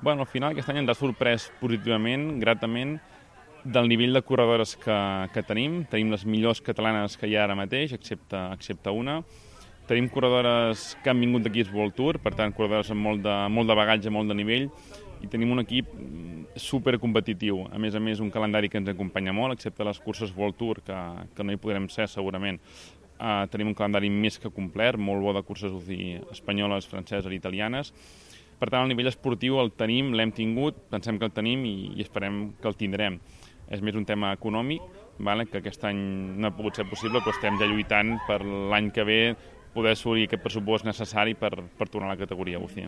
Bueno, al final aquest any ens ha sorprès positivament, gratament, del nivell de corredores que tenim. Tenim les millors catalanes que hi ha ara mateix, excepte una. Tenim corredores que han vingut d'equips World Tour, per tant, corredores amb molt de bagatge, molt de nivell, i tenim un equip supercompetitiu. A més, un calendari que ens acompanya molt, excepte les curses World Tour, que no hi podrem ser segurament. Tenim un calendari més que complet, molt bo de curses UCI espanyoles, franceses i italianes. Per tant, el nivell esportiu el tenim, l'hem tingut, pensem que el tenim i esperem que el tindrem. És més un tema econòmic, que aquest any no ha pogut ser possible, però estem ja lluitant per l'any que ve poder assolir aquest pressupost necessari per tornar a la categoria UCI.